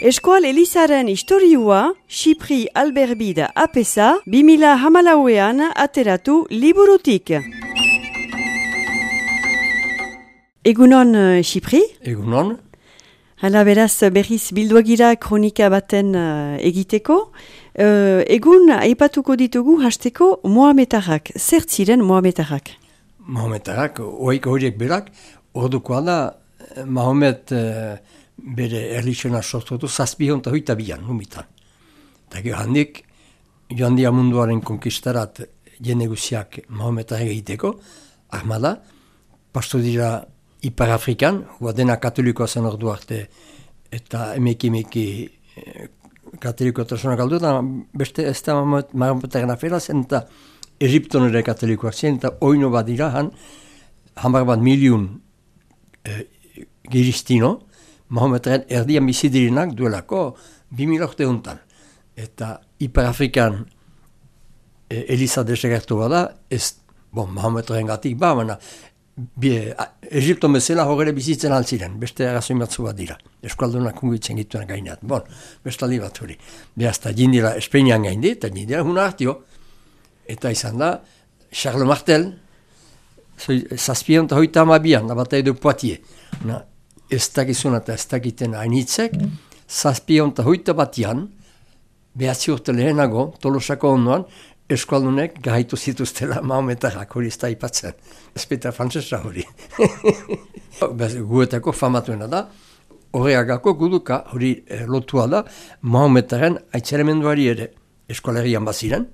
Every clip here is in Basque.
Eskual Elizaren historiua, Xipri Alberbida apesa, 2014an ateratu liburutik. Egunon, Xipri? Egunon. Hala beraz berriz bilduagira kronika baten egiteko. Egun aipatuko ditugu hasteko Mohametarrak. Zer ziren Mohametarrak? Mohametarrak, oik horiek berak, ordukoa da Mohamed bere erlixena sortutu 722an, humitan. Eta handik, joan dia munduaren konkistarat jende guziak Mohametarrak egiteko, armada, pastu dira Ipar Afrikan, hua dena katolikoa zen ordu arte, eta emeki katoliko tresona galdu, eta beste ez da Mohametarren afera zen, eta Egipton ere katolikoak zen, eta oino bat dira, hamar bat miliun giristino, Mohametarren erdian bizidirinak duelako 2000 urte hontan. Eta Ipar Afrikan Eliza desegertu bada, Mohametarren gatik baina, Egipton bezala horre bizitzen altziren, beste arrazoi batzu bat dira. Eskualdunak kungitzen gituen gaineat. Bestaldi bat hori. Behazta jindira Espainian gaindi, eta jindira huna hartio. Eta izan da, Charles Martel, 722an, abatai du Poitiers. Ez dakizun eta ez dakiten hainitzek, 722an, behatzi urte lehenago, Tolosako ondoan, eskualdunek gaitu zituztela Mohametarrak, hori ez da ipatzen. Ezpeta frantzesa hori. Guetako famatuena da, horreagako guduka hori lotua da, Mohametarren aitzaremenduari ere eskualerian baziren,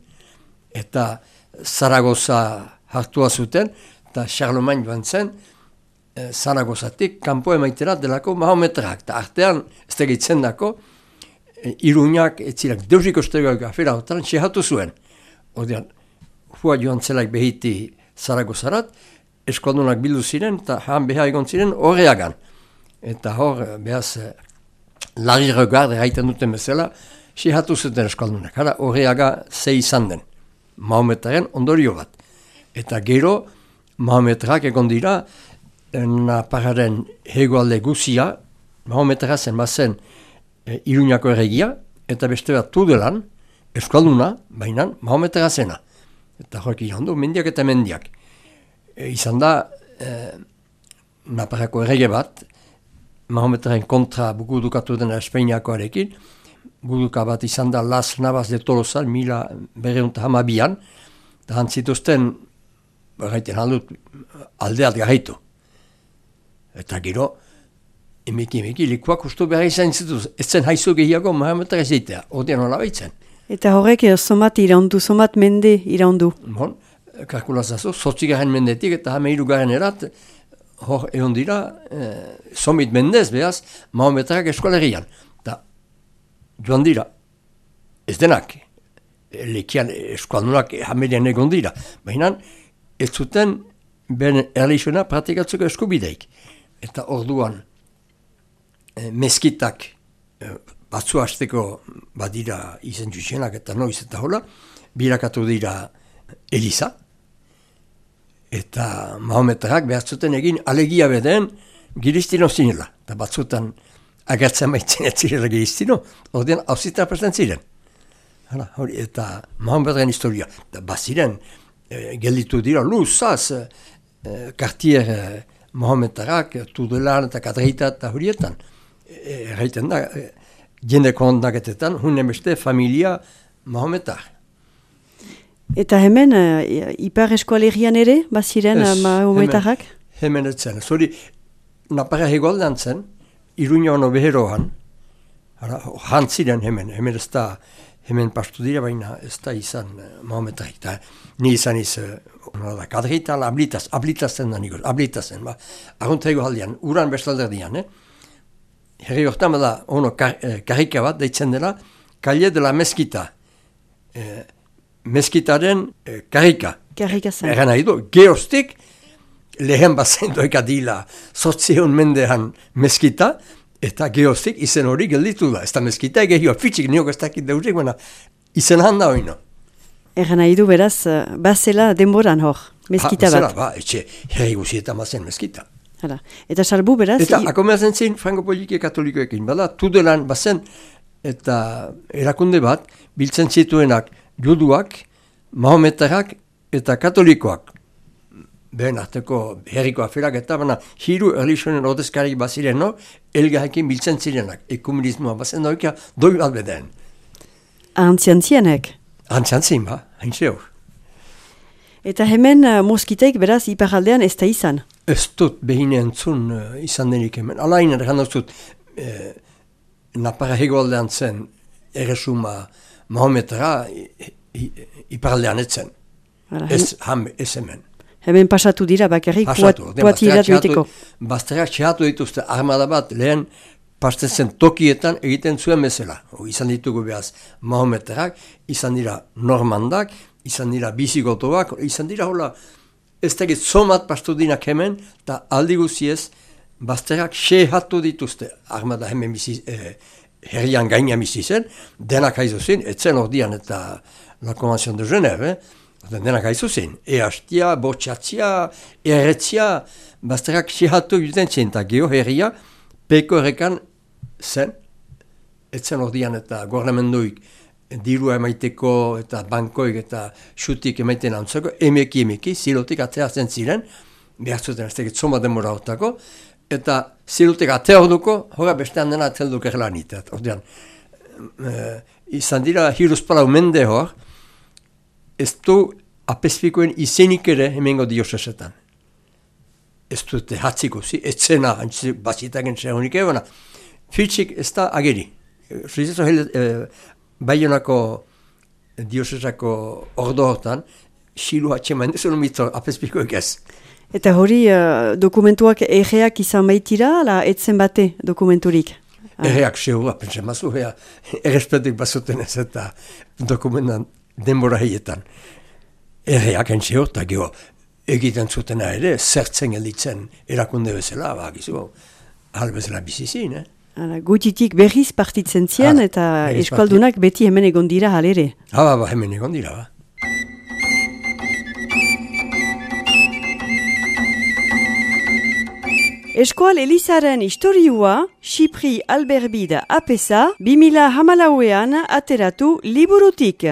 eta Zaragoza hartua zuten, eta Charlemagne joan zen, Zaragozatik kanpo emaitera delako Mohametarrak. Eta artean, ez da gehitzen dako, Iruñak, etzirak deusiko stegoak afera hotan, txehatu zuen. Ordean, hua joan zelaik behiti Zaragozarat, eskualdunak bildu ziren, eta han beha egon ziren horreagan. Eta hor, behaz, lari regarde haiten duten bezala, txehatu zuten eskualdunak. Hara, horreaga ze izan den. Mohametarren ondorio bat. Eta gero, Mohametarrak egon dira, Naparraren hegoalde guzia, Mohametarra zen bazen Iruñako erregia, eta beste bat Tudelan, eskualduna, baina Mohametarra zena. Eta horrek irandu, mendiak eta mendiak. Izan da, Naparrako errege bat, Mohametarren kontra gudukatu dena Espainiakoarekin, guduka bat izan da Las Navas de Tolosa, 1912an, eta hantzituzten, gaiten aldut, aldeat garaitu. Eta gero, emeki, likuak ustu behar izan zituz, ez zen haizu gehiago Mohametarra zeitea, ordean hola baitzen. Eta horrek somat iraundu, somat mende iraundu. Kalkulazazu, 8. mendetik eta 13. erat, hor egon dira, somit mendez behaz, Mohametarrak eskualerian. Eta joan dira, ez denak, lekian eskualdunak hamerian egon dira, baina ez zuten ben erlixuna praktikatzeko eskubideik. Eta orduan, meskitak batzu hasteko badira izen juxenak eta noiz eta hola, birakatu dira Eliza, eta Mohametarrak behar zuten egin alegia beden giristino zinela. Eta batzutan agertzen baitzen ez zirela giristino, ordean hauzita presten ziren. Eta Mohametarren historia. Baziren, gelditu dira luzaz, Cartier Mohametarrak, Tudelan eta Kadreita eta horietan. Erraiten da, jende kondaketetan, hunen beste familia Mohametar. Eta hemen, Ipar eskualerian ere, baziren Mohametarrak? Hemen etzen. Zori, Naparra hegoaldean zen, Iruñoan obeheroan, hantziren hemen ez da, hemen pastu dira, baina ez da izan Mohametarrik. Ni izan Kadreita, ablitazen da nikoz, ablitazen, argunta egoaldean, uran bestalderdian, herri hortan bada, karrika bat, deitzen dela, Calle de la Mezquita. Mezquitaren karrika. Karrika zen. Egan nahi du, geostik, lehen bazen doika dila, 800 mendean Mezquita, eta geostik izen hori gelditu da. Ez da Mezquita egehioa, fitxik niok ez dakit deurik, baina izen handa hori no. Egan nahi du beraz, bazela denboran hor, Mezquita bat. Bazela, etxe, herri guzietan bazen Mezquita. Hala. Eta salbu beraz... Eta akomerzen zin franko-politike katolikoekin, bada, tudelan bazen, eta erakunde bat, biltzen zituenak juduak, mahometarrak eta katolikoak. Behen arteko herriko aferak eta baina hiru erlijionen ordezkarik baziren, no? Elgarrekin biltzen zirenak, ekumenismoa bazen doikia, doi bat beden. Antziantzienek. Antziantzien, ba, hain zehor. Eta hemen moskiteik beraz iparaldean ez da izan. Ez dut behin entzun izan denik hemen. Alain erran dut, Naparra hegoaldean zen erresuma mahometara iparaldean etzen. Ez hemen. Hemen pasatu dira bakarrik kuatirat biteko. Bazterrak txehatu dituzte armada bat lehen pasten zen tokietan egiten zuen bezala. Izan ditugu behaz mahometarak, izan dira normandak, izan dira bizigotoak, izan dira hola ez tegit somat pastu dinak hemen, eta aldi guziez bazterrak txehatu dituzte armada hemen herrian gaina bizi zen, denak haizu zen, etzen ordian eta la Convention de Genève, denak haizu zen, eastia, botxatzia, erretzia, bazterrak txehatu juten zen, eta geho herria, peko errekan zen, etzen ordian eta gornamenduik dirua emaiteko eta bankoik eta xutik emaiten antzako, emeki, zilotik ateratzen ziren, behar zuten ez tegit zoma denbora hortako, eta zilutek atea orduko, hora bestean dena atzelduk erlanitat. Ordean, izan dira hiruzpalau mende hor, ez du apespikoen izenik ere hemengo diosesetan. Ez dute hatziko, etzena bazitaken zehonik ebona. Fitxik ez da ageri. Baionako diosesako ordo hortan, xilu hatxeman ez mito apespikoek ez. Eta hori dokumentuak erreak izan baitira, ala etzen bate dokumenturik? Erreak seura, pentsa mazu, errespetuk bazuten ez eta dokumentan denbora heietan. Erreak entzio, eta geho, egiten zutena ere, zertzen gelditzen erakunde bezala, gizu, bezala bizizin, Gutitik berriz partitzen zien, eta eskualdunak beti hemen egon dira halere. Hemen egon dira, Eskual Elizaren historiua, Xipri Alberbida apesa, 2014an ateratu liburutik.